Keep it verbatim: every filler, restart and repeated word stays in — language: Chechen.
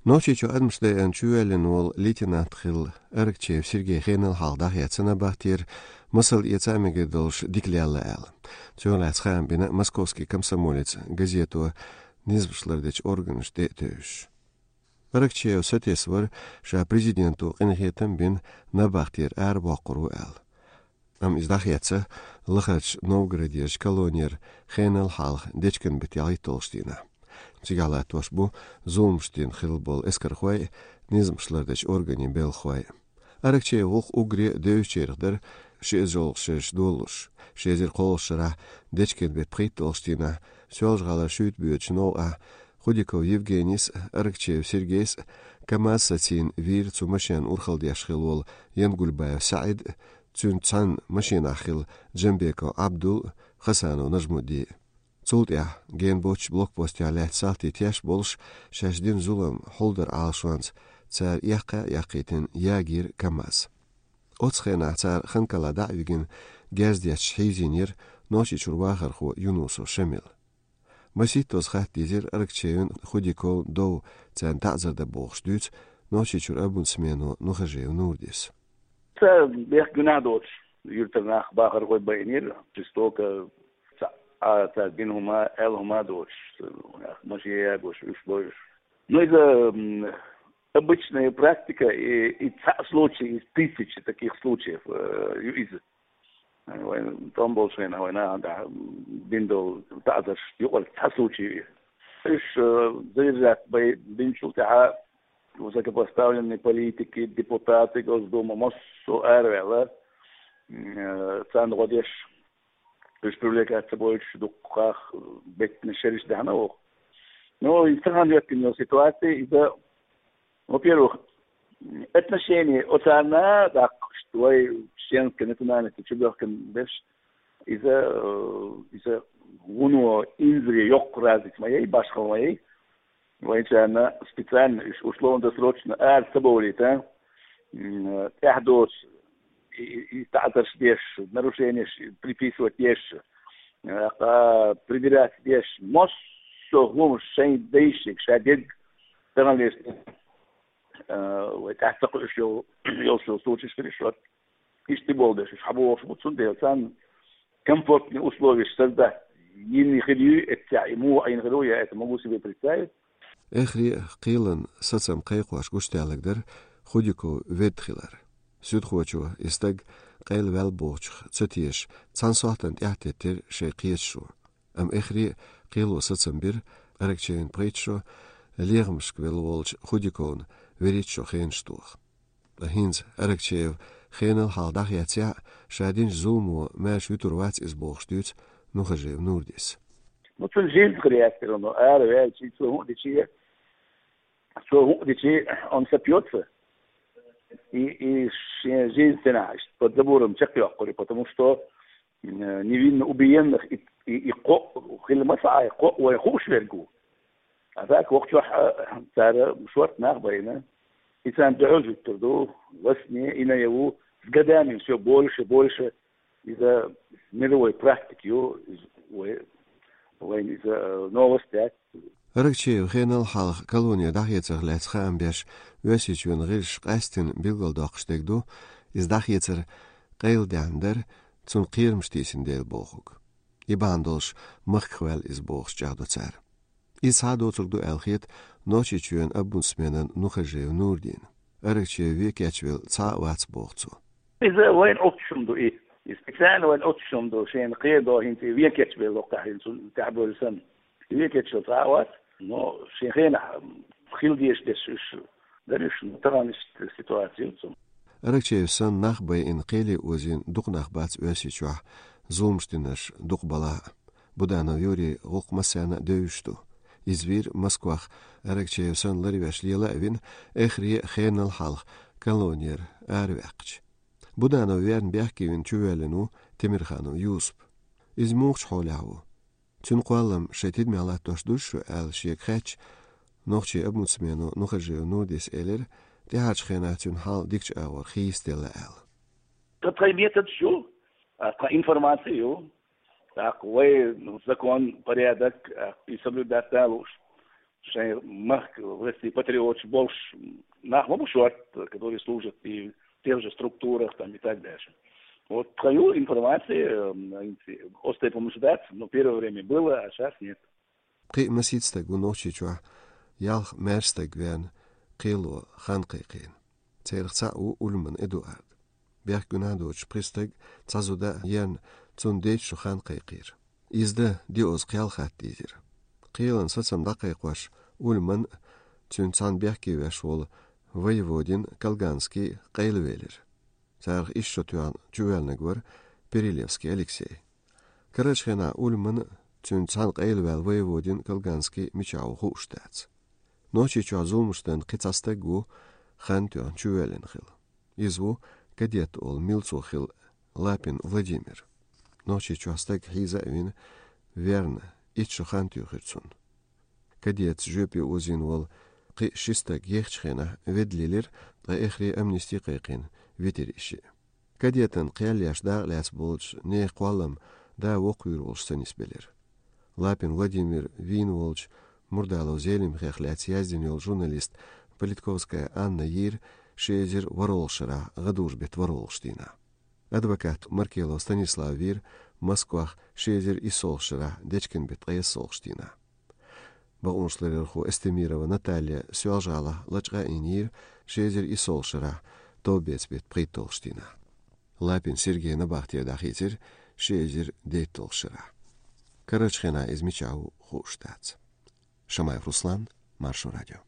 Нохчийчу адамаш дайан чувеллин вол лейтенант хилла Аракчеев Сергей хенал хьал дахьяцана бахтир, масал эца мега долш диклялла аьлла. Цо лац хаам бина «Московский комсомолец» газето низбашлардеч органаш де тевш. Аракчеев сатес вар ша президенту къинхетам бин набахтир ар боккуру аьлла. Ам из дахьяца лахач Новгородерч колонер хенал халх дечкан бит ялгӀиттолш дийна. Цига латтош бу зулмуштин хил бол эскархой, низмушлардеч органи белхой. Аракчеев вух угре девчерх дар ши эзолгшеш долуш, ши эзир кхолшара дечкан бит пхиттолш дийна, сёлж гӀала шуьйт буьйч новкъа, Худиков Евгенийс, Аракчеев Сергейс, КамАЗ сацин вир цу машен урхалдеш хил вол Янгульбаев СаӀид, цуьнца цхьаьна машинахь хилла Джамбеков Абдул, Хасанов Нажмудди. Цул тӀаьхьа генбоч блокпостехь лаьцна салти теш болуш, шаьш дина зулам хьулдар Ӏалашонца цара эккха а эккхийтина ягийра КамАЗ. Оцу хенахь цара Ханкала дӀа а вигина, герз детташ хьийзийнера Нохчийчуьра вахархо Юнусов Шамил. Маситтаза хатта дийзира Аракчеевн, Худиковн дов, царна таӀзар дан бохуш дуьйцу Нохчийчуьра омбудсмено Нухажиев Нурдис. Ца бехк гуьнахь доцуш, юьртара нах бахархой байинера, жестоко, ца, а, ца дина хӀума, аьлла хӀума доцуш, машен ягош, уьш бойуш. Ну, иза, м, обычная практика, и, и цхьа случай из тысячи таких случаев, э, ю иза. Вайн тӀом болчу хенахь вайн нахана тӀехь бина долу таӀзарш юкъара цхьа случай ю. Уьш, э, задержать бай-, бинчул тӀаьхьа высокопоставленные политики, депутаты Госдумы, массо а араваьлла, м, э, царна гӀо деш, уьш привлекать ца бойтуш дуккхах беттина шераш даьхна воху. Ну, и цхьаьна хӀоьттина йолу ситуация, иза, во-первых, отношение оцарна, так, что вай чеченской национальности чубехкан берш, иза, э, иза вуно инзаре йоккха разница ма яй, башхал ма яй. Вайчарна специально уьш условно-досрочно ара ца бовлийта, м, тӀаьхьа доцу и, и, и таӀзарш деш, нарушениеш приписывать деш, а, прибирать деш, массо а хӀума шайн дайшига, ша дерг тахана леш, а, вай тӀаьхьа ца кхуьуш йол-, йолчу случаеш хир ю шуьга. Иштта болу деш, уьш хьан бохуш бу, цундела царна комфортные условия создать йина хир ю, эццехь и муха Ӏийна хир ву, я это могу себе представить. Эхре кхелан сацам кхайкхош гучудаьллаг дара Худиков ведда хилар. Суьдхочо и стаг къайла ваьлла бохучух ца тешаш, цхьана сохьтана тӀаьхьатеттира шайн кхеташо. Амма эхре кхело сацам бира Аракчеевн пхийтта шо лехамашка велла волчу Худиковна вуьрхӀитта шо хенаш тоха. Ткъа хӀинца Аракчеев хенал хьалха дӀахецъяхь, ша динчу зуламо маьрша вуьтур вац иза бохуш дуьйцу Нухажиев Нурдис. Ну, цуьнан жизнь хир яц, но ара ваьлча, цо хӀун а дичи, цо хӀун а дичи, он сопьётся. И, и шен жизнь цена, под забором чекхйоккхури, потому что, м, невинно убиенных и, и, и кхоъ хила ма ца Ӏай, кхоъ вай хууш верг ву. А так, вокхачохь, а, цара шорта нах байна. И царна дуьхьал жуьгтур ду, во сне, и наяву, с годами всё больше, больше. Иза мировой практика ю, иза вай, вайн иза, э, новость дац. Аракчеев хенал хьалха колоне дӀахецарх лаьцна хаам беш, Оьрсийчоьнан гӀирсаша къаьсттина билгалдоккхуш дерг ду, иза дӀахецар къайладаьхна дара, цунна кхерамаш тийсина дела бохург. И бахьана долуш махках ваьлла иза бохуш чӀагӀдо цара. Иза схьа а доцург ду аьлла хета Нохчийчоьнан омбудсменан Нухажиев Нурдина. Аракчеев вен кечвелла цхьа а вац боху цо. Иза вайн оццушум ду и. И специально вайн оццушум ду, шена кхерадо хӀинца и вен кечвелла локхахь хӀинца тӀаьхьабевлла санна. И вен кечвелла цхьа а вац, но шен хенахь хила дезаш дерш уьш дара уьш, но тахана иштта ситуация ю цунна. Аракчеев санна нах байина, кхеле озийна дукха нах бац Оьрсийчохь, зуламаш динарш дукха балахь а. Буданов Юрий гӀуллакх массарна а девзаш ду. Иза вийра Москвах, Аракчеев санна ларвеш лела а вина, эхре а хенал хьалха колонера араваьккхича. Буданов верна бехке вина чувоьллина ву Темирханов Юсуп. Иза муха хьолехь ву? Цуьнан кхоллам шайн тидамехь латтош дуй шу аьлла шега хаьттича, нохчийн омбудсмено Нухажиев Нурдис элира, тӀаьхьарчу хенахь цуьнан хьал дикачу агӀор хийцаделла аьлла. Ткъа тхайн методаш ю, а, тхан информаци ю, тӀаккха вай закон, порядок, а, и соблюдать дан лууш. Шайн махка, власти патриоташ болуш нах ма бу шортта, которые служат и в тех же структурах там и так дальше. Вот тхан ю информация, м, оцу тайпа хӀуманаш дац, но первое время было, а щас нет. Кхин а масийтта стаг ву Нохчийчохь ялх маьрша стаг веана кхело хан кхайкхийна. Царах цхьаъ ву Ульман Эдуард. Бехк гуьнахь доцуш пхи стаг, цхьа зуда а ерна, цунна дейтта шо хан кхайкхийра. Иза дан диъазза кхел хатта дийзира. Кхелан сацам дӀакхайкхош, Ульман а, цуьнца цхьаьна бехке веш волу Воеводин Колганский а къайлавелира. Царах исс шо тоьхна чувоьллинарг вара Перелевский Алексей. Карарчу хенахь Ульман а, цуьнца цхьаьна къайлаваьлла Воеводин Колганский а мичахь ву хууш дац. Нохчийчохь зуламаш дан кхин цхьа стаг ву хан тоьхна чувоьллина хилла. Иза ву кадет олу милцо хилла Лапин Владимир. Нохчийчохь стаг хьийза а вина, верна, итт шо хан туьйхира цунна. Кадетца жоьпе озийна волу кхин а ши стаг ехачу хенахь ведда лелира, ткъа эххаре амнисти кхайкхийна витира и шиъ. Кадетан кхел еш дакъа лаьцна болчу нехан кхоллам да воккхавийр волуш ца нисбелира. Лапин Владимир вийна волчу Мурдалов Зелимхех лаьцна яздина йолу журналист Политковская Анна йийра ши эзар ворхӀалгӀачу шарахь гӀадужу беттан ворхӀалгӀачу дийнахь. Адвокат Маркелов Станислав вийра Москвахь ши эзар иссолгӀачу шарахь дечкен беттан ткъайоьсналгӀачу дийнахь. Бакъонашларъярхо Эстемирова Наталья Соьлжа-ГӀалахь лачкъа а йина йийра ши эзар иссолгӀачу шарахь товбеца беттан пхийтталгӀачу дийнахь. Лапин Сергей набахте дӀахийцира ши эзар дейтталгӀачу шарахь. Карарчу хенахь иза мичахь ву хууш дац. Шамаев Руслан, Маршо радио.